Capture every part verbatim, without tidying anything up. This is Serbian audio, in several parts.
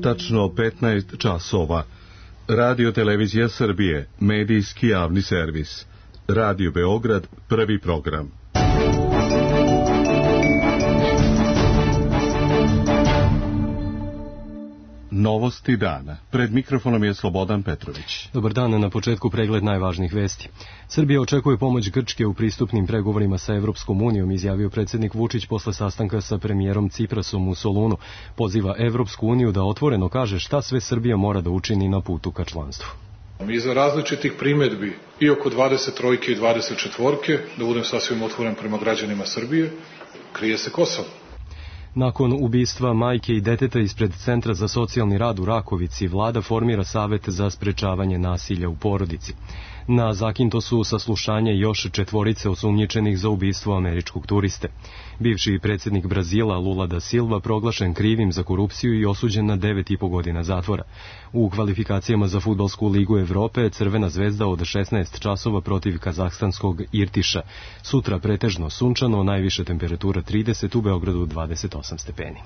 tačno petnaest časova. Radio Televizija Srbije, medijski javni servis. Radio Beograd, prvi program. Novosti dana. Pred mikrofonom je Slobodan Petrović. Dobar dan, na početku pregled najvažnijih vesti. Srbija očekuje pomoć Grčke u pristupnim pregovorima sa Evropskom unijom, izjavio predsjednik Vučić posle sastanka sa premijerom Ciprasom u Solunu. Poziva Evropsku uniju da otvoreno kaže šta sve Srbija mora da učini na putu ka članstvu. Iza različitih primjedbi i oko dvadeset trojke i dvadeset četvorke, da budem sasvim otvoren prema građanima Srbije, krije se Kosovo. Nakon ubistva majke i deteta ispred Centra za socijalni rad u Rakovici, vlada formira savet za sprečavanje nasilja u porodici. Na Zakintosu saslušanje još četvorice osumnjičenih za ubistvo američkog turiste. Bivši predsjednik Brazila Lula da Silva proglašen krivim za korupciju i osuđen na devet i po godina zatvora. U kvalifikacijama za Fudbalsku ligu Evrope Crvena zvezda od šesnaest časova protiv kazahstanskog Irtiša. Sutra pretežno sunčano, najviše temperatura trideset, u Beogradu dvadeset osam stepeni.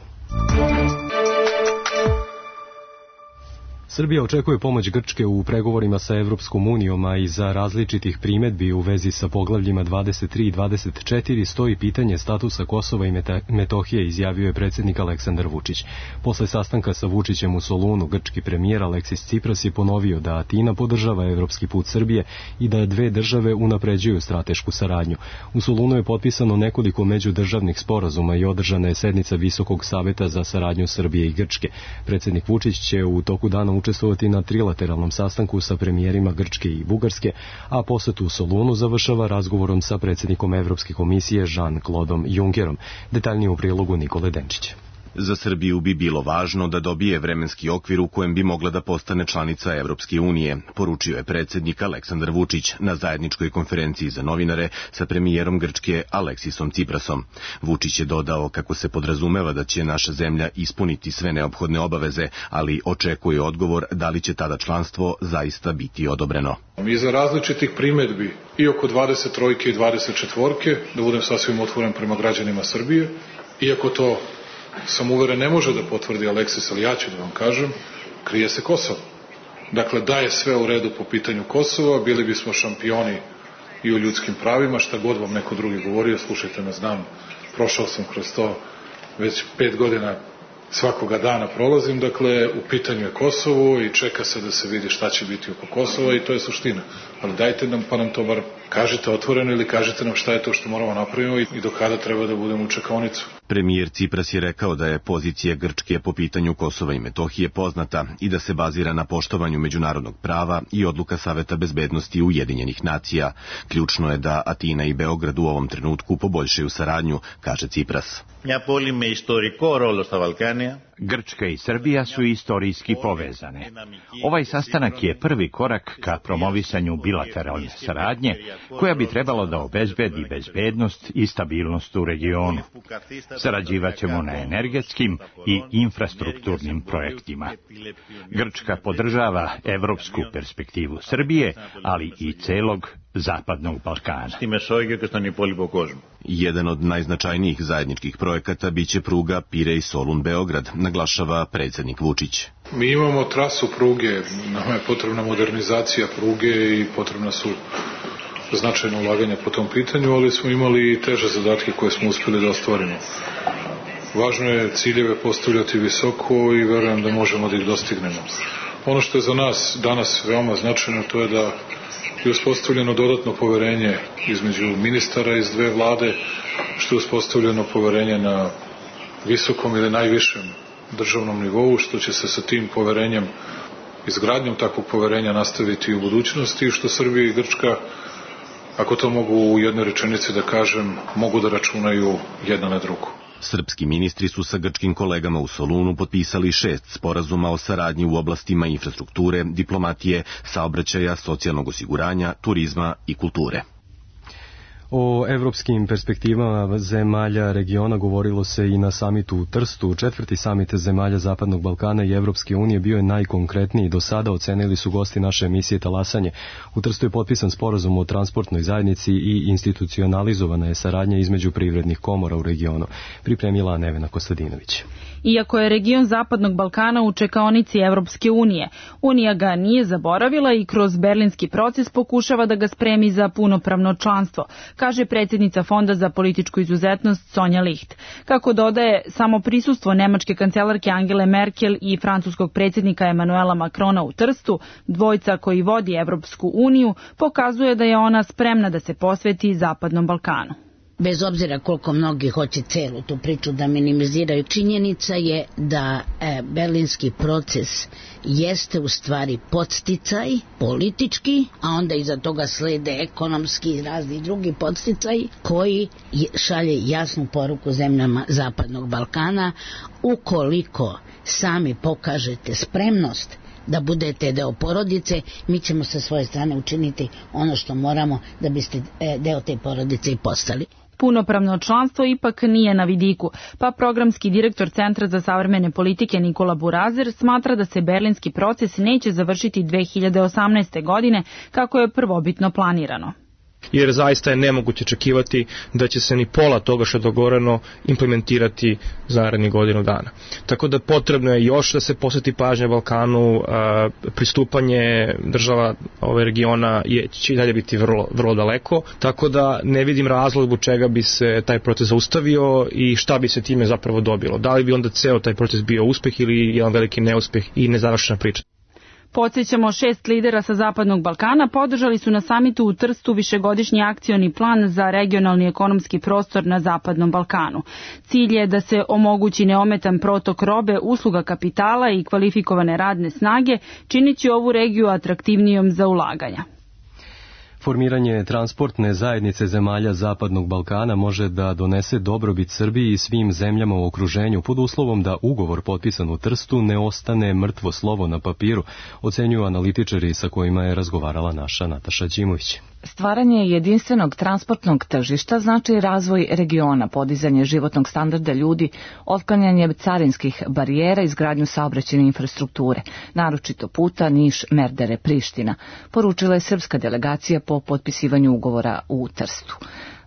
Srbija očekuje pomoć Grčke u pregovorima sa Evropskom unijom, a iza različitih primjedbi u vezi sa poglavljima dvadeset tri i dvadeset četiri stoji pitanje statusa Kosova i Metohije, izjavio je predsjednik Aleksandar Vučić. Posle sastanka sa Vučićem u Solunu, grčki premijer Aleksis Cipras je ponovio da Atina podržava evropski put Srbije i da dve države unapređuju stratešku saradnju. U Solunu je potpisano nekoliko međudržavnih sporazuma i održana je sednica Visokog saveta za saradnju Srbije i Grčke. Predsjednik Vučić će u toku dana učestvovati na trilateralnom sastanku sa premijerima Grčke i Bugarske, a posetu u Solunu završava razgovorom sa predsjednikom Evropske komisije Jean-Claudeom Junckerom. Detaljnije u prilogu Nikole Denčića. Za Srbiju bi bilo važno da dobije vremenski okvir u kojem bi mogla da postane članica Evropske unije, poručio je predsjednik Aleksandar Vučić na zajedničkoj konferenciji za novinare sa premijerom Grčke Aleksisom Ciprasom. Vučić je dodao kako se podrazumeva da će naša zemlja ispuniti sve neophodne obaveze, ali očekuje odgovor da li će tada članstvo zaista biti odobreno. Iza različitih primjedbi i oko dvadeset trojke i dvadeset četvorke, da budem sasvim otvoren prema građanima Srbije, iako to sam uveren ne može da potvrdi Aleksis, ali ja ću da vam kažem, krije se Kosovo. Dakle, da je sve u redu po pitanju Kosova, bili bismo šampioni i u ljudskim pravima, šta god vam neko drugi govorio, slušajte me, znam, prošao sam kroz to, već pet godina svakoga dana prolazim, dakle, u pitanju je Kosovo i čeka se da se vidi šta će biti oko Kosova i to je suština. Ali dajte nam, pa nam to bar kažite otvoreno ili kažite nam šta je to što moramo napravimo i do kada treba da budemo u čekaonicu. Premijer Cipras je rekao da je pozicija Grčke po pitanju Kosova i Metohije poznata i da se bazira na poštovanju međunarodnog prava i odluka Saveta bezbednosti Ujedinjenih nacija. Ključno je da Atina i Beograd u ovom trenutku poboljšaju saradnju, kaže Cipras. Grčka i Srbija su istorijski povezane. Ovaj sastanak je prvi korak ka promovisanju bilateralne saradnje, koja bi trebalo da obezbedi bezbednost i stabilnost u regionu. Sarađivaćemo na energetskim i infrastrukturnim projektima. Grčka podržava evropsku perspektivu Srbije, ali i celog Zapadnog Balkana. Jedan od najznačajnijih zajedničkih projekata biće pruga Pirej-Solun-Beograd, naglašava predsjednik Vučić. Mi imamo trasu pruge, nama je potrebna modernizacija pruge i potrebna su značajna ulaganja po tom pitanju, ali smo imali i teže zadatke koje smo uspjeli da ostvarimo. Važno je ciljeve postavljati visoko i verujem da možemo da ih dostignemo. Ono što je za nas danas veoma značajno, to je da je uspostavljeno dodatno poverenje između ministara iz dve vlade, što je uspostavljeno poverenje na visokom ili najvišem državnom nivou, što će se sa tim poverenjem, izgradnjom takvog poverenja nastaviti u budućnosti i što Srbija i Grčka, ako to mogu u jednoj rečenici da kažem, mogu da računaju jedna na drugu. Srpski ministri su sa grčkim kolegama u Solunu potpisali šest sporazuma o saradnji u oblastima infrastrukture, diplomatije, saobraćaja, socijalnog osiguranja, turizma i kulture. O evropskim perspektivama zemalja regiona govorilo se i na samitu u Trstu. Četvrti samit zemalja Zapadnog Balkana i Evropske unije bio je najkonkretniji do sada, ocenili su gosti naše emisije Talasanje. U Trstu je potpisan sporazum o transportnoj zajednici i institucionalizovana je saradnja između privrednih komora u regionu. Pripremila Nevena Kostadinović. Iako je region Zapadnog Balkana u čekaonici Evropske unije, Unija ga nije zaboravila i kroz berlinski proces pokušava da ga spremi za punopravno članstvo, kaže predsjednica Fonda za političku izuzetnost Sonja Licht. Kako dodaje, samo prisustvo nemačke kancelarke Angele Merkel i francuskog predsjednika Emanuela Macrona u Trstu, dvojca koji vodi Evropsku uniju, pokazuje da je ona spremna da se posveti Zapadnom Balkanu. Bez obzira koliko mnogi hoće celu tu priču da minimiziraju, činjenica je da e, berlinski proces jeste u stvari podsticaj politički, a onda iza toga slede ekonomski i razni drugi podsticaj koji šalje jasnu poruku zemljama Zapadnog Balkana. Ukoliko sami pokažete spremnost da budete deo porodice, mi ćemo sa svoje strane učiniti ono što moramo da biste deo te porodice i postali. Punopravno članstvo ipak nije na vidiku, pa programski direktor Centra za savremene politike Nikola Burazer smatra da se berlinski proces neće završiti dve hiljade osamnaeste. godine kako je prvobitno planirano. Jer zaista je nemoguće očekivati da će se ni pola toga što je dogovoreno implementirati za narednih godinu dana. Tako da potrebno je još da se posveti pažnja Balkanu, a, pristupanje država ove regiona je, će i dalje biti vrlo, vrlo daleko, tako da ne vidim razlog zbog čega bi se taj proces zaustavio i šta bi se time zapravo dobilo. Da li bi onda ceo taj proces bio uspeh ili jedan veliki neuspeh i nezavršena priča. Podsjećamo, šest lidera sa Zapadnog Balkana podržali su na samitu u Trstu višegodišnji akcioni plan za regionalni ekonomski prostor na Zapadnom Balkanu. Cilj je da se omogući neometan protok robe, usluga kapitala i kvalifikovane radne snage, činići ovu regiju atraktivnijom za ulaganja. Formiranje transportne zajednice zemalja Zapadnog Balkana može da donese dobrobit Srbiji i svim zemljama u okruženju pod uslovom da ugovor potpisan u Trstu ne ostane mrtvo slovo na papiru, ocenjuju analitičari sa kojima je razgovarala naša Nataša Đimović. Stvaranje jedinstvenog transportnog tržišta znači razvoj regiona, podizanje životnog standarda ljudi, otklanjanje carinskih barijera, izgradnju saobraćajne infrastrukture, naročito puta Niš-Merdere-Priština, poručila je srpska delegacija po potpisivanju ugovora u Trstu.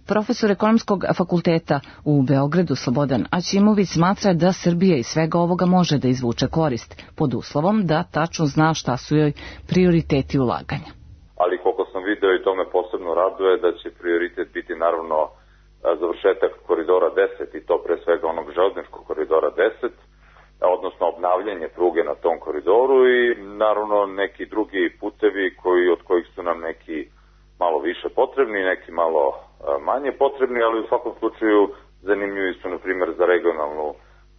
Profesor ekonomskog fakulteta u Beogradu Slobodan Aćimović smatra da Srbija iz svega ovoga može da izvuče korist, pod uslovom da tačno zna šta su joj prioriteti ulaganja. Ali koliko sam video i to me posebno raduje da će prioritet biti naravno završetak koridora deset i to pre svega onog železničkog koridora deset, odnosno obnavljanje pruge na tom koridoru i naravno neki drugi putevi koji, od kojih su nam neki malo više potrebni, neki malo manje potrebni, ali u svakom slučaju zanimljivi su na primjer za regionalnu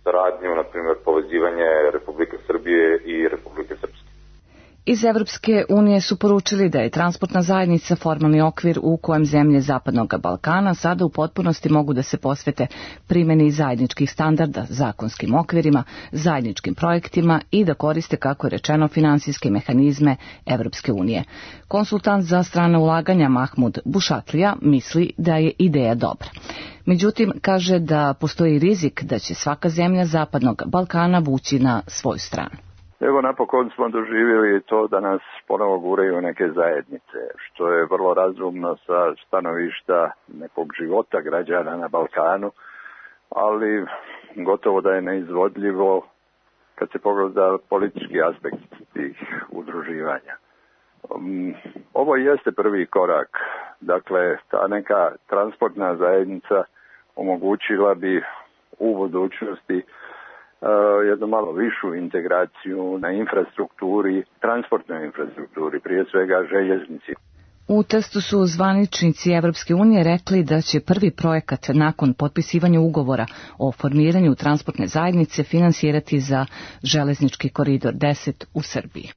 saradnju, na primjer povezivanje Republike Srbije i Republike Srpske. Iz Evropske unije su poručili da je transportna zajednica formalni okvir u kojem zemlje Zapadnog Balkana sada u potpunosti mogu da se posvete primjeni zajedničkih standarda, zakonskim okvirima, zajedničkim projektima i da koriste, kako je rečeno, finansijske mehanizme Evropske unije. Konsultant za strane ulaganja Mahmud Bušatlija misli da je ideja dobra. Međutim, kaže da postoji rizik da će svaka zemlja Zapadnog Balkana vući na svoju stranu. Evo napokon smo doživjeli to da nas ponovo guraju neke zajednice, što je vrlo razumno sa stanovišta nekog života građana na Balkanu, ali gotovo da je neizvodljivo kad se pogleda politički aspekt tih udruživanja. Ovo jeste prvi korak, dakle ta neka transportna zajednica omogućila bi u budućnosti Uh, jednu malo višu integraciju na infrastrukturi, transportnoj infrastrukturi, prije svega željeznici. U Trstu su zvaničnici Evropske unije rekli da će prvi projekat nakon potpisivanja ugovora o formiranju transportne zajednice finansirati za železnički koridor deset u Srbiji.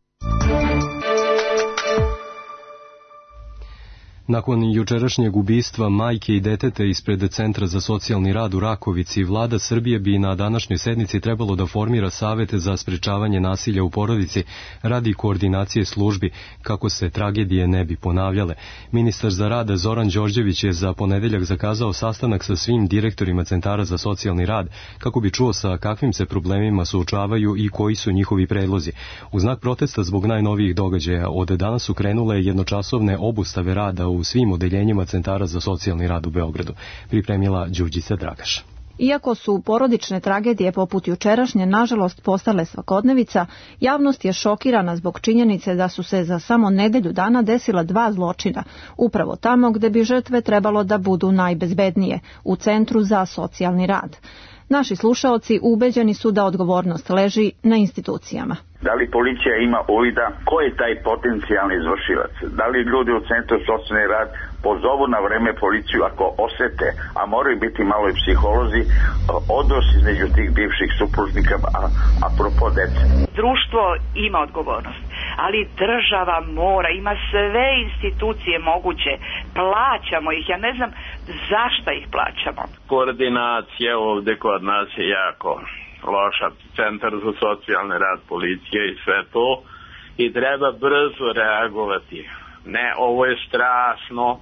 Nakon jučerašnjeg ubistva majke i deteta ispred Centra za socijalni rad u Rakovici, vlada Srbije bi na današnjoj sednici trebalo da formira savete za sprečavanje nasilja u porodici radi koordinacije službi kako se tragedije ne bi ponavljale. Ministar za rad Zoran Đorđević je za ponedeljak zakazao sastanak sa svim direktorima Centara za socijalni rad kako bi čuo sa kakvim se problemima suočavaju i koji su njihovi predlozi. U znak protesta zbog najnovijih događaja od danas su krenule jednočasovne obustave rada u svim odeljenjima Centara za socijalni rad u Beogradu, pripremila Đurđica Dragaš. Iako su porodične tragedije poput jučerašnje nažalost postale svakodnevica, javnost je šokirana zbog činjenice da su se za samo nedelju dana desila dva zločina, upravo tamo gde bi žrtve trebalo da budu najbezbednije, u Centru za socijalni rad. Naši slušaoci ubeđeni su da odgovornost leži na institucijama. Da li policija ima uvida ko je taj potencijalni izvršilac? Da li ljudi u Centru socijalni rad pozovu na vreme policiju ako osete, a moraju biti malo i psiholozi, odnos između tih bivših supružnika, a apropo dece? Društvo ima odgovornost, ali država mora, ima sve institucije moguće, plaćamo ih, ja ne znam zašto ih plaćamo. Koordinacija ovde kod nas je jako loša, Centar za socijalni rad, policija i sve to, i treba brzo reagovati. Ne, ovo je strašno.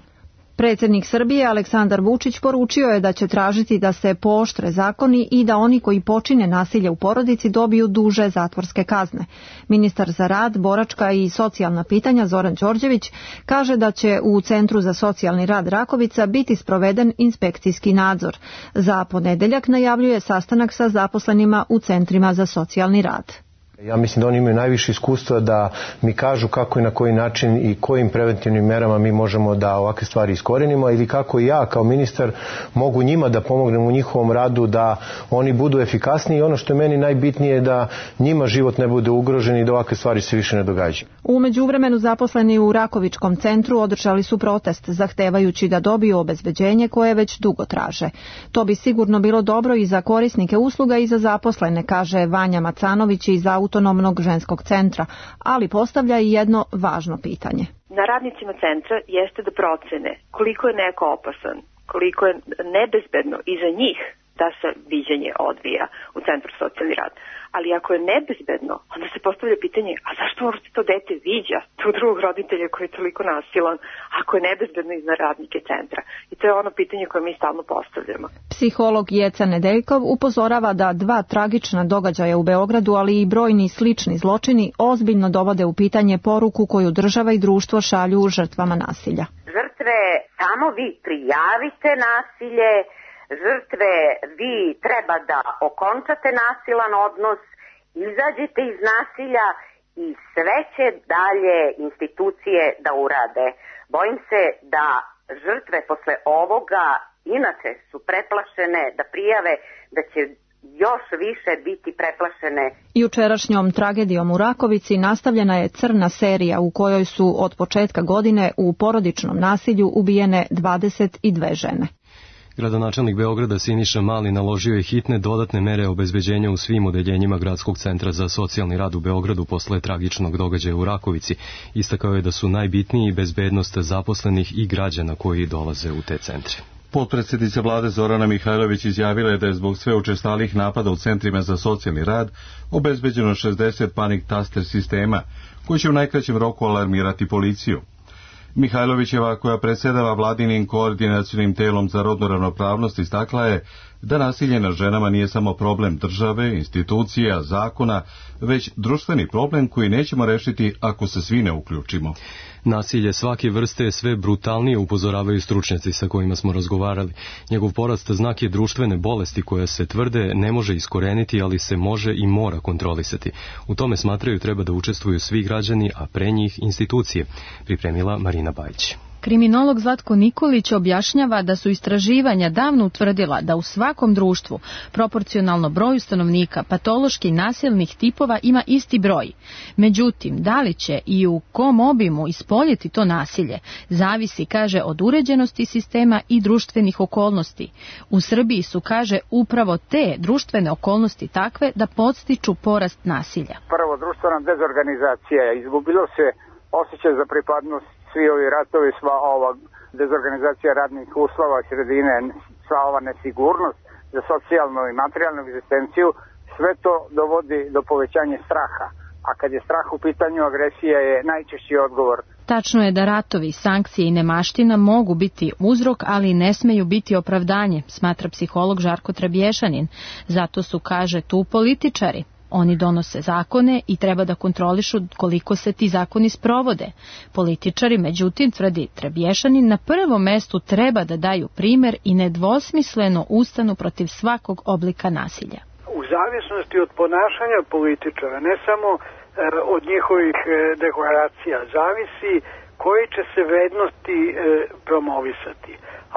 Predsjednik Srbije Aleksandar Vučić poručio je da će tražiti da se pooštre zakoni i da oni koji počine nasilje u porodici dobiju duže zatvorske kazne. Ministar za rad, boračka i socijalna pitanja Zoran Đorđević kaže da će u Centru za socijalni rad Rakovica biti sproveden inspekcijski nadzor. Za ponedeljak najavljuje sastanak sa zaposlenima u centrima za socijalni rad. Ja mislim da oni imaju najviše iskustva da mi kažu kako i na koji način i kojim preventivnim merama mi možemo da ovakve stvari iskorenimo ili kako i ja kao ministar mogu njima da pomognem u njihovom radu da oni budu efikasniji i ono što je meni najbitnije je da njima život ne bude ugrožen i da ovakve stvari se više ne događaju. U međuvremenu zaposleni u Rakovičkom centru održali su protest zahtevajući da dobiju obezbeđenje koje već dugo traže. To bi sigurno bilo dobro i za korisnike usluga i za zaposlene, kaže Vanja Macanović iz Autonomnog ženskog centra, ali postavlja i jedno važno pitanje. Na radnicima centra jeste da procene koliko je neko opasan, koliko je nebezbedno i za njih da se viđenje odvija u Centru socijalni rad. Ali ako je nebezbedno, onda se postavlja pitanje, a zašto uopšte to dete viđa tu drugog roditelja koji je toliko nasilan, ako je nebezbedno i za radnike centra? I to je ono pitanje koje mi stalno postavljamo. Psiholog Jeca Nedeljkov upozorava da dva tragična događaja u Beogradu, ali i brojni slični zločini ozbiljno dovode u pitanje poruku koju država i društvo šalju žrtvama nasilja. Žrtve, samo vi prijavite nasilje, žrtve, vi treba da okončate nasilan odnos, izađite iz nasilja i sve će dalje institucije da urade. Bojim se da žrtve posle ovoga inače su preplašene da prijave, da će još više biti preplašene. Jučerašnjom tragedijom u Rakovici nastavljena je crna serija u kojoj su od početka godine u porodičnom nasilju ubijene dvadeset dve žene. Gradonačelnik Beograda Siniša Mali naložio je hitne dodatne mere obezbeđenja u svim odeljenjima Gradskog centra za socijalni rad u Beogradu posle tragičnog događaja u Rakovici. Istakao je da su najbitniji bezbednost zaposlenih i građana koji dolaze u te centre. Potpredsjednica vlade Zorana Mihajlović izjavila je da je zbog sve učestalih napada u centrima za socijalni rad obezbeđeno šezdeset panik taster sistema, koji će u najkraćem roku alarmirati policiju. Mihajlovićeva, koja predsjedava vladinim koordinacionim telom za rodnu ravnopravnost, istakla je da nasilje nad ženama nije samo problem države, institucija, zakona, već društveni problem koji nećemo rešiti ako se svi ne uključimo. Nasilje svake vrste je sve brutalnije, upozoravaju stručnjaci sa kojima smo razgovarali. Njegov porast znak je društvene bolesti koja se tvrde ne može iskoreniti, ali se može i mora kontrolisati. U tome smatraju treba da učestvuju svi građani, a pre njih institucije, pripremila Marina Bajić. Kriminolog Zlatko Nikolić objašnjava da su istraživanja davno utvrdila da u svakom društvu proporcionalno broju stanovnika patološki nasilnih tipova ima isti broj. Međutim, da li će i u kom obimu ispoljiti to nasilje, zavisi, kaže, od uređenosti sistema i društvenih okolnosti. U Srbiji su, kaže, upravo te društvene okolnosti takve da podstiču porast nasilja. Prvo, društvena dezorganizacija, izgubilo se osjećaj za pripadnost svi ovi ratovi, sva ova dezorganizacija radnih uslova sredine, sva ova nesigurnost za socijalnu i materijalnu egzistenciju, sve to dovodi do povećanja straha. A kad je strah u pitanju, agresija je najčešći odgovor. Tačno je da ratovi, sankcije i nemaština mogu biti uzrok, ali ne smeju biti opravdanje, smatra psiholog Žarko Trebješanin. Zato su, kaže, tu političari. Oni donose zakone i treba da kontrolišu koliko se ti zakoni sprovode. Političari, međutim, tvrdi Trebješanin, na prvom mestu treba da daju primer i nedvosmisleno ustanu protiv svakog oblika nasilja. U zavisnosti od ponašanja političara, ne samo e, od njihovih e, deklaracija, zavisi koje će se vrednosti e, promovisati.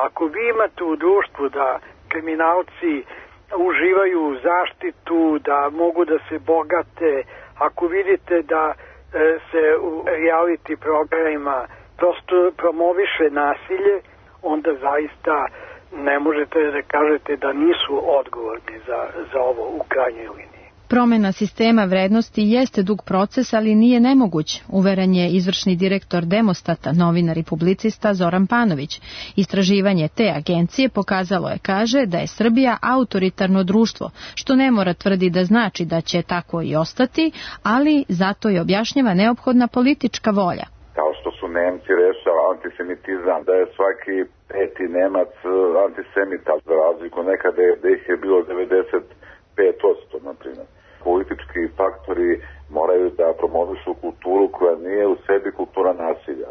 Ako vi imate u društvu da kriminalci uživaju zaštitu, da mogu da se bogate, ako vidite da e, se u reality programima prosto promoviše nasilje, onda zaista ne možete da kažete da nisu odgovorni za, za ovo u krajnjoj liniji. Promena sistema vrednosti jeste dug proces, ali nije nemoguć, uveren je izvršni direktor Demostata, novinar i publicista Zoran Panović. Istraživanje te agencije pokazalo je, kaže, da je Srbija autoritarno društvo, što ne mora tvrdi da znači da će tako i ostati, ali zato je objašnjava neophodna politička volja. Kao što su Nemci rešava antisemitizam, da je svaki peti Nemac antisemita, za razliku nekada da ih je bilo devedeset pet posto, na primjer. Politički faktori moraju da promovišu kulturu koja nije u sebi kultura nasilja.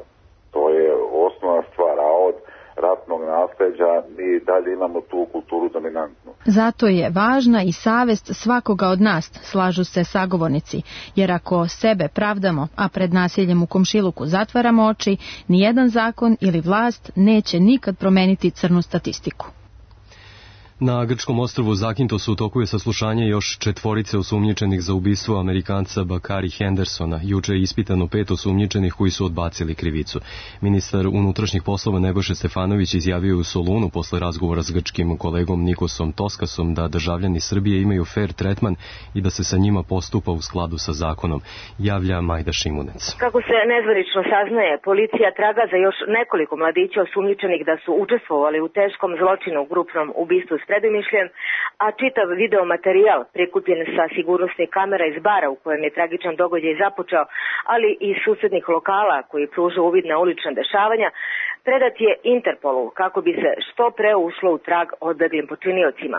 To je osnovna stvar, a od ratnog nasleđa mi dalje imamo tu kulturu dominantnu. Zato je važna i savest svakoga od nas, slažu se sagovornici, jer ako sebe pravdamo, a pred nasiljem u komšiluku zatvaramo oči, nijedan zakon ili vlast neće nikad promeniti crnu statistiku. Na grčkom ostrvu Zakintos u toku je saslušanje još četvorice osumnjičenih za ubistvo Amerikanca Bakari Hendersona. Juče je ispitano pet osumnjičenih koji su odbacili krivicu. Ministar unutrašnjih poslova Nebojša Stefanović izjavio u Solunu posle razgovora s grčkim kolegom Nikosom Toskasom da državljani Srbije imaju fair tretman i da se sa njima postupa u skladu sa zakonom, javlja Majda Šimunec. Kako se nezvanično saznaje, policija traga za još nekoliko mladića osumnjičenih da su učestvovali u teškom zločinu u grupnom ubistvu s predumišljem, a čitav videomaterijal prikupljen sa sigurnosnih kamera iz bara u kojem je tragičan događaj započeo, ali i susednih lokala koji pruža uvid na ulična dešavanja, predat je Interpolu kako bi se što pre ušlo u trag odbeglim počiniocima.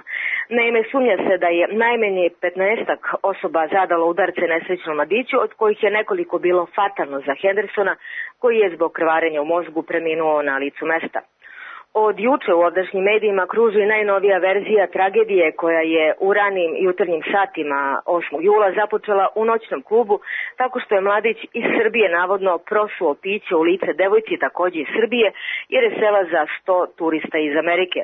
Naime, sumnja se da je najmanje petnaestak osoba zadalo udarce nesrećnom mladiću, od kojih je nekoliko bilo fatalno za Hendersona, koji je zbog krvarenja u mozgu preminuo na licu mesta. Od juče u ovdašnjim medijima kruži najnovija verzija tragedije koja je u ranim jutarnjim satima osmog jula započela u noćnom klubu tako što je mladić iz Srbije navodno prosuo piće u lice devojci takođe iz Srbije jer je sela za sto turista iz Amerike.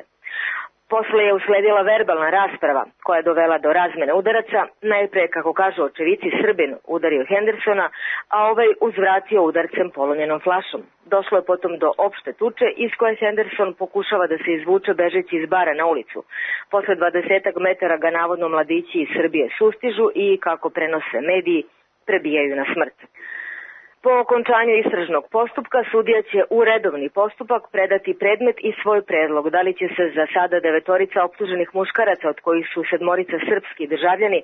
Posle je usledila verbalna rasprava koja je dovela do razmene udaraca. Najpre, kako kažu očevici, Srbin udario Hendersona, a ovaj uzvratio udarcem polomljenom flašom. Došlo je potom do opšte tuče iz koje Henderson pokušava da se izvuče bežeći iz bara na ulicu. Posle dvadesetak metara ga navodno mladići iz Srbije sustižu i, kako prenose mediji, prebijaju na smrt. Po okončanju istražnog postupka sudija će u redovni postupak predati predmet i svoj predlog. Da li će se za sada devetorica optuženih muškaraca, od kojih su sedmorica srpski državljani,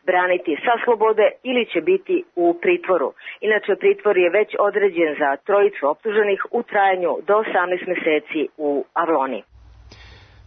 braniti sa slobode ili će biti u pritvoru. Inače, pritvor je već određen za trojicu optuženih u trajanju do osamnaest meseci u Avloni.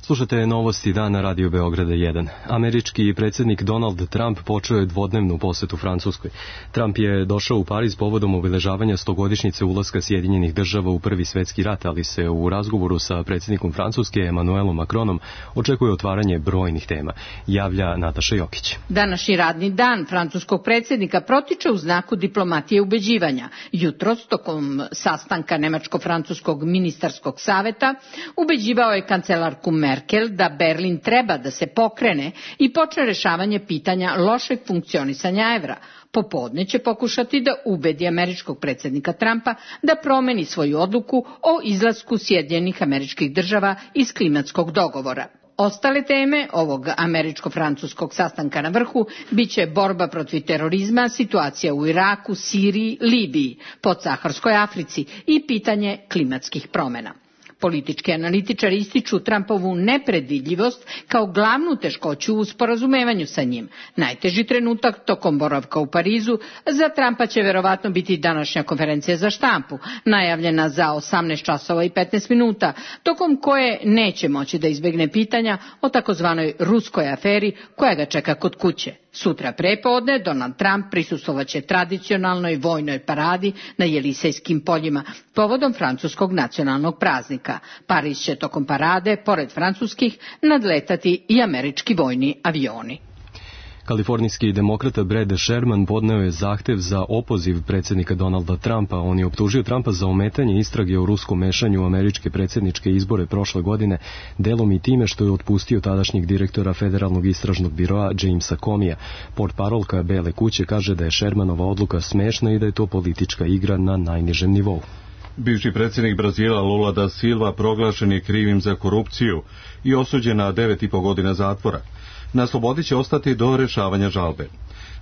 Slušate novosti dana Radio Beograda jedan. Američki predsjednik Donald Trump počeo je dvodnevnu posetu Francuskoj. Trump je došao u Pariz povodom obeležavanja stogodišnjice ulaska Sjedinjenih država u Prvi svetski rat, ali se u razgovoru sa predsjednikom Francuske Emmanuelom Macronom očekuje otvaranje brojnih tema, javlja Nataša Jokić. Današnji radni dan francuskog predsjednika protiče u znaku diplomatije ubeđivanja. Jutros, tokom sastanka Nemačko-francuskog ministarskog saveta, ubeđivao je kancelarku Merkel Merkel da Berlin treba da se pokrene i počne rešavanje pitanja lošeg funkcionisanja evra. Popodne će pokušati da ubedi američkog predsjednika Trumpa da promeni svoju odluku o izlasku Sjedinjenih Američkih Država iz klimatskog dogovora. Ostale teme ovog američko-francuskog sastanka na vrhu biće borba protiv terorizma, situacija u Iraku, Siriji, Libiji, podsaharskoj Africi i pitanje klimatskih promjena. Politički analitičari ističu Trumpovu nepredvidljivost kao glavnu teškoću u sporazumevanju sa njim. Najteži trenutak tokom boravka u Parizu za Trumpa će verovatno biti današnja konferencija za štampu, najavljena za osamnaest časova i petnaest minuta, tokom koje neće moći da izbegne pitanja o takozvanoj ruskoj aferi koja ga čeka kod kuće. Sutra prepodne Donald Trump prisustvovaće tradicionalnoj vojnoj paradi na Jelisejskim poljima povodom francuskog nacionalnog praznika. Pariz će tokom parade, pored francuskih, nadletati i američki vojni avioni. Kalifornijski demokrata Brad Sherman podneo je zahtev za opoziv predsjednika Donalda Trumpa. On je optužio Trumpa za ometanje istrage o ruskom mešanju u američke predsjedničke izbore prošle godine, delom i time što je otpustio tadašnjeg direktora Federalnog istražnog biroa Jamesa Comeyja. Portparolka Bele kuće kaže da je Shermanova odluka smešna i da je to politička igra na najnižem nivou. Bivši predsjednik Brazila Lula da Silva proglašen je krivim za korupciju i osuđen na devet i po godina zatvora. Na slobodi će ostati do rješavanja žalbe.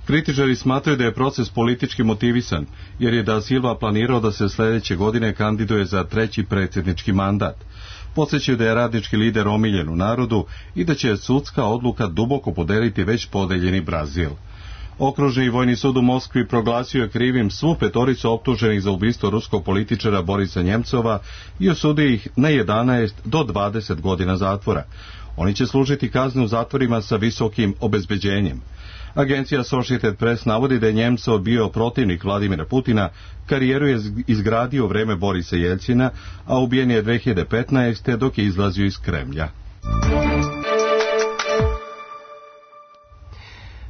Kritičari smatraju da je proces politički motivisan, jer je da Silva planirao da se sljedeće godine kandiduje za treći predsjednički mandat. Podsjećaju da je radnički lider omiljen u narodu i da će sudska odluka duboko podeliti već podeljeni Brazil. Okružni vojni sud u Moskvi proglasio je krivim svu petoricu optuženih za ubistvo ruskog političara Borisa Njemcova i osudio ih na jedanaest do dvadeset godina zatvora. Oni će služiti kazne u zatvorima sa visokim obezbeđenjem. Agencija Associated Press navodi da je Njemcov bio protivnik Vladimira Putina, karijeru je izgradio u vreme Borisa Jeljcina, a ubijen je dve hiljade petnaeste. dok je izlazio iz Kremlja.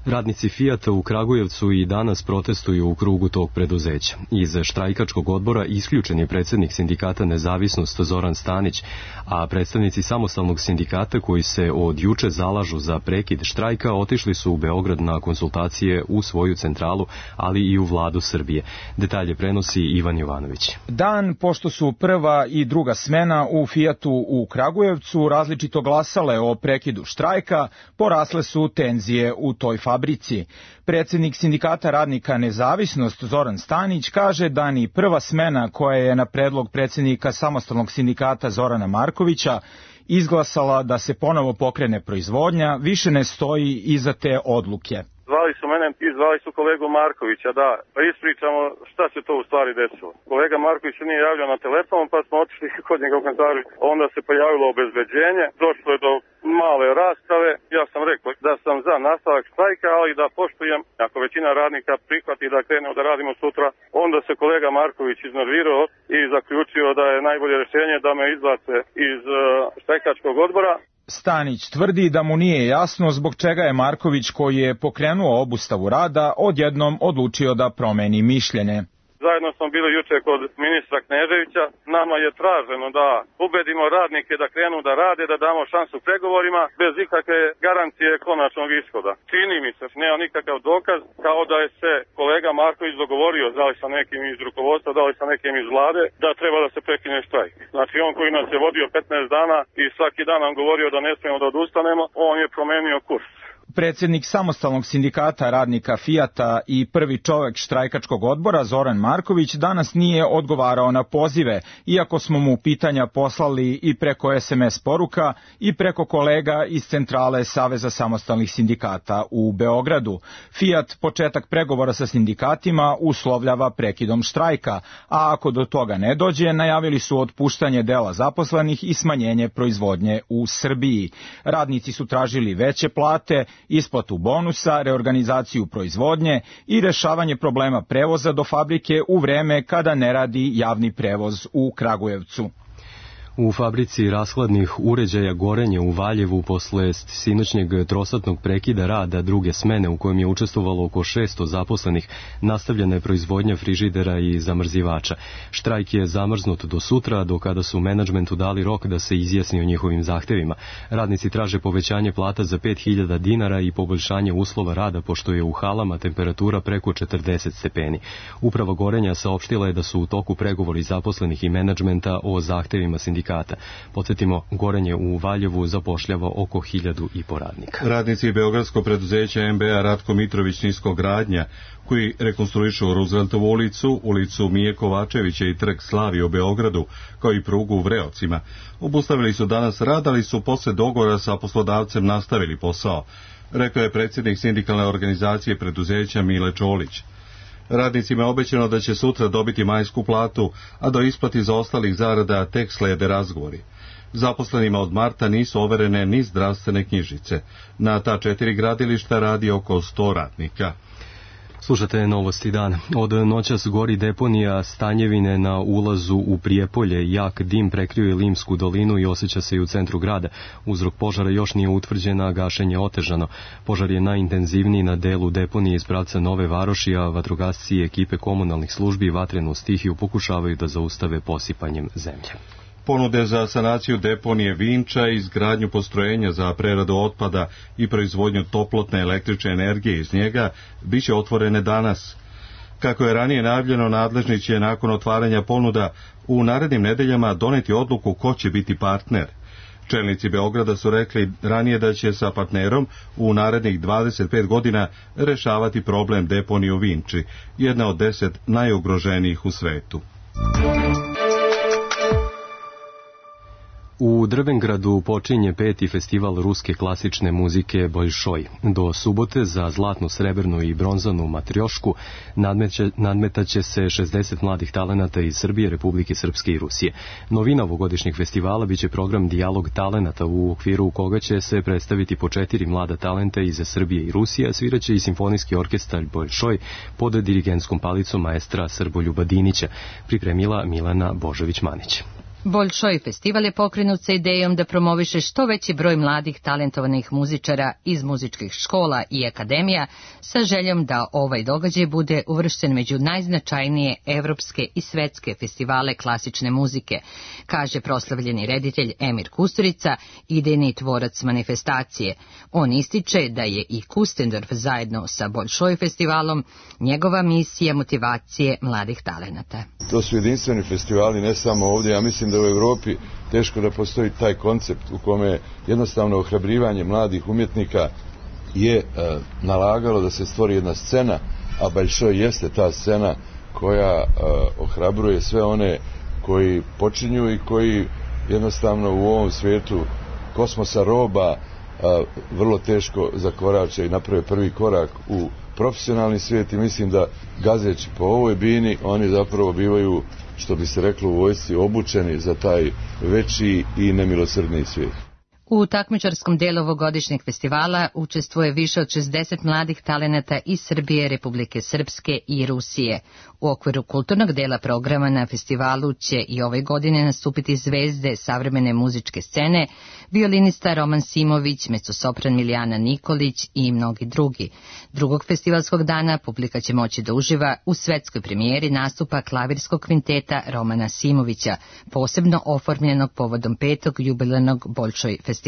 Radnici Fijata u Kragujevcu i danas protestuju u krugu tog preduzeća. Iz štrajkačkog odbora isključen je predsjednik sindikata Nezavisnost Zoran Stanić, a predstavnici samostalnog sindikata koji se od juče zalažu za prekid štrajka otišli su u Beograd na konsultacije u svoju centralu, ali i u vladu Srbije. Detalje prenosi Ivan Jovanović. Dan pošto su prva i druga smena u Fijatu u Kragujevcu različito glasale o prekidu štrajka, porasle su tenzije u toj fabrici. fabrici. Predsjednik sindikata radnika Nezavisnost Zoran Stanić kaže da ni prva smena koja je na predlog predsjednika samostalnog sindikata Zorana Markovića izglasala da se ponovo pokrene proizvodnja, više ne stoji iza te odluke. Zvali su mene i zvali su kolegu Markovića, da pa ispričamo šta se to u stvari desilo. Kolega Marković se nije javljao na telefon, pa smo otišli kod njega u kancelariju. Onda se pojavilo obezbeđenje, došlo je do male rasprave. Ja sam rekao da sam za nastavak štrajka, ali da poštujem, ako većina radnika prihvati da krenemo da radimo sutra, onda se kolega Marković iznervirao i zaključio da je najbolje rješenje da me izbace iz uh, štrajkačkog odbora. Stanić tvrdi da mu nije jasno zbog čega je Marković, koji je pokrenuo obustavu rada, odjednom odlučio da promeni mišljenje. Zajedno smo bili juče kod ministra Kneževića. Nama je traženo da ubedimo radnike da krenu da rade, da damo šansu pregovorima bez ikakve garancije konačnog ishoda. Čini mi se, nema nikakav dokaz, kao da je se kolega Marković dogovorio, da li sa nekim iz rukovodstva, da li sa nekim iz vlade, da treba da se prekine štrajk. Znači on koji nas je vodio petnaest dana i svaki dan nam govorio da ne smijemo da odustanemo, on je promenio kurs. Predsjednik samostalnog sindikata radnika Fijata i prvi čovjek štrajkačkog odbora Zoran Marković danas nije odgovarao na pozive, iako smo mu pitanja poslali i preko es em es poruka i preko kolega iz centrale Saveza samostalnih sindikata u Beogradu. Fijat početak pregovora sa sindikatima uslovljava prekidom štrajka, a ako do toga ne dođe, najavili su otpuštanje dela zaposlenih i smanjenje proizvodnje u Srbiji. Radnici su tražili veće plate, isplatu bonusa, reorganizaciju proizvodnje i rešavanje problema prevoza do fabrike u vreme kada ne radi javni prevoz u Kragujevcu. U fabrici rashladnih uređaja Gorenje u Valjevu posle sinoćnjeg trosatnog prekida rada druge smene u kojem je učestvovalo oko šesto zaposlenih, nastavljena je proizvodnja frižidera i zamrzivača. Štrajk je zamrznut do sutra, do kada su menadžmentu dali rok da se izjasni o njihovim zahtevima. Radnici traže povećanje plata za pet hiljada dinara i poboljšanje uslova rada, pošto je u halama temperatura preko četrdeset stepeni. Uprava Gorenja saopštila je da su u toku pregovori zaposlenih i menadžmenta o zahtevima sindikata sindikata. Podsjetimo, Gorenje u Valjevu zapošljava oko hiljadu i po radnika. Radnici beogradskog preduzeća M B A Ratko Mitrović Niskogradnja, koji rekonstruišu Rooseveltovu ulicu, ulicu Mije Kovačevića i trg Slavije u Beogradu, kao i prugu u Vreocima, obustavili su danas rad, ali su posle dogovora sa poslodavcem nastavili posao, rekao je predsjednik sindikalne organizacije preduzeća Mile Čolić. Radnicima je obećano da će sutra dobiti majsku platu, a do isplati za ostalih zarada tek slede razgovori. Zaposlenima od marta nisu overene ni zdravstvene knjižice. Na ta četiri gradilišta radi oko sto radnika. Slušate Novosti dana. Od noćas gori deponija Stanjevine na ulazu u Prijepolje. Jak dim prekrio je Limsku dolinu i osjeća se i u centru grada. Uzrok požara još nije utvrđen, a gašenje otežano. Požar je najintenzivniji na delu deponije iz pravca Nove Varoši, a vatrogasci i ekipe komunalnih službi vatrenu stihiju pokušavaju da zaustave posipanjem zemlje. Ponude za sanaciju deponije Vinča i izgradnju postrojenja za preradu otpada i proizvodnju toplotne električne energije iz njega biće otvorene danas. Kako je ranije najavljeno, nadležni će nakon otvaranja ponuda u narednim nedeljama doneti odluku ko će biti partner. Čelnici Beograda su rekli ranije da će sa partnerom u narednih dvadeset pet godina rešavati problem deponije u Vinči, jedna od deset najugroženijih u svetu. U Drvengradu počinje peti festival ruske klasične muzike Boljšoj. Do subote za zlatnu, srebrnu i bronzanu matriošku nadmetaće se šezdeset mladih talenata iz Srbije, Republike Srpske i Rusije. Novina ovogodišnjeg festivala biće program Dijalog talenata, u okviru koga će se predstaviti po četiri mlada talenta iz Srbije i Rusije, a sviraće i simfonijski orkestar Boljšoj pod dirigentskom palicom maestra Srboljuba Dinića, pripremila Milana Božović-Manić. Boljšoj festival je pokrenut sa idejom da promoviše što veći broj mladih talentovanih muzičara iz muzičkih škola i akademija, sa željom da ovaj događaj bude uvršten među najznačajnije evropske i svetske festivale klasične muzike, kaže proslavljeni reditelj Emir Kusturica, idejni tvorac manifestacije. On ističe da je i Kustendorf zajedno sa Boljšoj festivalom njegova misija motivacije mladih talenata. To su jedinstveni festivali, ne samo ovdje, ja mislim da u Evropi teško da postoji taj koncept u kome jednostavno ohrabrivanje mladih umjetnika je e, nalagalo da se stvori jedna scena, a Boljšoj jeste ta scena koja e, ohrabruje sve one koji počinju i koji jednostavno u ovom svijetu kosmosa roba e, vrlo teško zakorače i naprave prvi korak u profesionalni svijet, i mislim da gazeći po ovoj bini oni zapravo bivaju, što bi se reklo u vojsci, obučeni za taj veći i nemilosrdniji svijet. U takmičarskom delu ovogodišnjeg festivala učestvuje više od šezdeset mladih talenata iz Srbije, Republike Srpske i Rusije. U okviru kulturnog dela programa na festivalu će i ove godine nastupiti zvezde savremene muzičke scene, violinista Roman Simović, mezzosopran Milijana Nikolić i mnogi drugi. Drugog festivalskog dana publika će moći da uživa u svetskoj premijeri nastupa klavirskog kvinteta Romana Simovića, posebno oformljenog povodom petog jubilarnog Boljšoj festivala.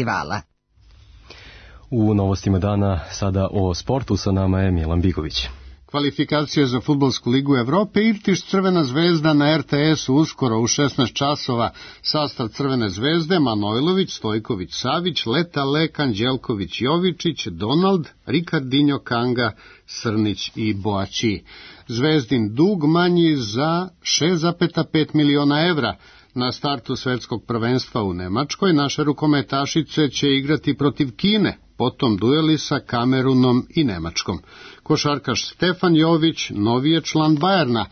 U novostima dana sada o sportu, sa nama je Milan Bigović. Kvalifikacije za Fudbalsku ligu Evrope, Irtiš Crvena zvezda na er te esu uskoro u šesnaest časova. Sastav Crvene zvezde: Manojlović, Stojković, Savić, Leta, Lek, Anđelković, Jovičić, Donald, Ricardinho, Kanga, Srnić i Boači. Zvezdin dug manji za šest zarez pet miliona evra. Na startu svetskog prvenstva u Nemačkoj naše rukometašice će igrati protiv Kine, potom dueli sa Kamerunom i Nemačkom. Košarkaš Stefan Jović novi je član Bajerna.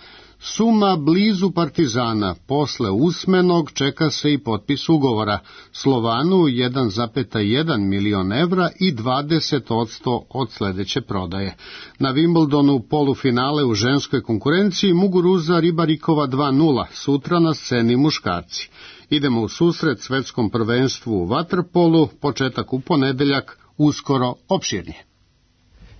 Suma blizu Partizana, posle usmenog čeka se i potpis ugovora. Slovanu jedan zarez jedan milion evra i dvadeset posto od sledeće prodaje. Na Wimbledonu polufinale u ženskoj konkurenciji Muguruza Ribarikova dva nula, sutra na sceni muškarci. Idemo u susret svetskom prvenstvu u vaterpolu, početak u ponedeljak, uskoro opširnije.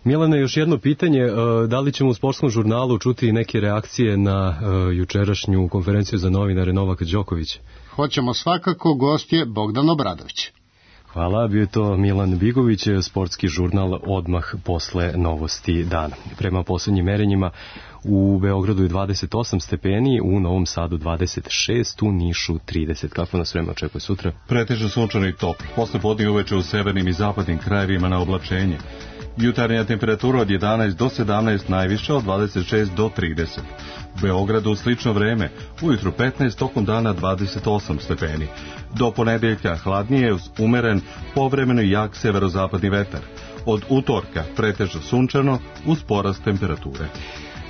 Milane, još jedno pitanje, da li ćemo u sportskom žurnalu čuti neke reakcije na jučerašnju konferenciju za novinare Novaka Đokovića? Hoćemo svakako, gost je Bogdan Obradović. Hvala, bio je to Milan Bigović, sportski žurnal odmah posle novosti dana. Prema poslednjim merenjima u Beogradu je dvadeset osam stepeni, u Novom Sadu dvadeset šest, u Nišu trideset. Kako nas vreme očekuje sutra? Pretežno sunčano i toplo. Posle podne uveče u severnim i zapadnim krajevima na oblačenje. Jutarnja temperatura od jedanaest do sedamnaest, najviša od dvadeset šest do trideset. U Beogradu slično vreme, ujutru petnaest, tokom dana dvadeset osam stepeni. Do ponedeljka hladnije uz umeren, povremeno jak severozapadni vetar. Od utorka pretežno sunčano uz porast temperature.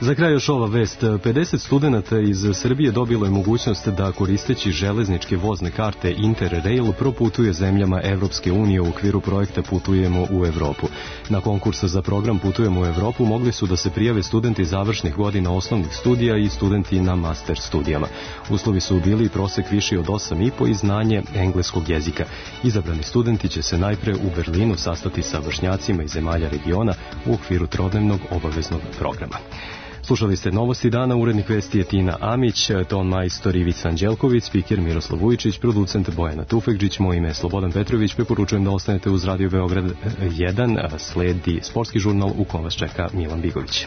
Za kraj još ova vest. pedeset studenata iz Srbije dobilo je mogućnost da koristeći železničke vozne karte Interrail proputuje zemljama Evropske unije u okviru projekta Putujemo u Evropu. Na konkurs za program Putujemo u Evropu mogli su da se prijave studenti završnih godina osnovnih studija i studenti na master studijama. Uslovi su bili prosek viši od osam i po i znanje engleskog jezika. Izabrani studenti će se najpre u Berlinu sastati sa vršnjacima iz zemalja regiona u okviru trodnevnog obaveznog programa. Slušali ste novosti dana, urednik vesti je Tina Amić, ton majstor Ivica Anđelković, spiker Miroslav Vujičić, producent Bojana Tufekđić, moje ime je Slobodan Petrović, preporučujem da ostanete uz Radio Beograd jedan, sledi sportski žurnal u kom vas čeka Milan Bigović.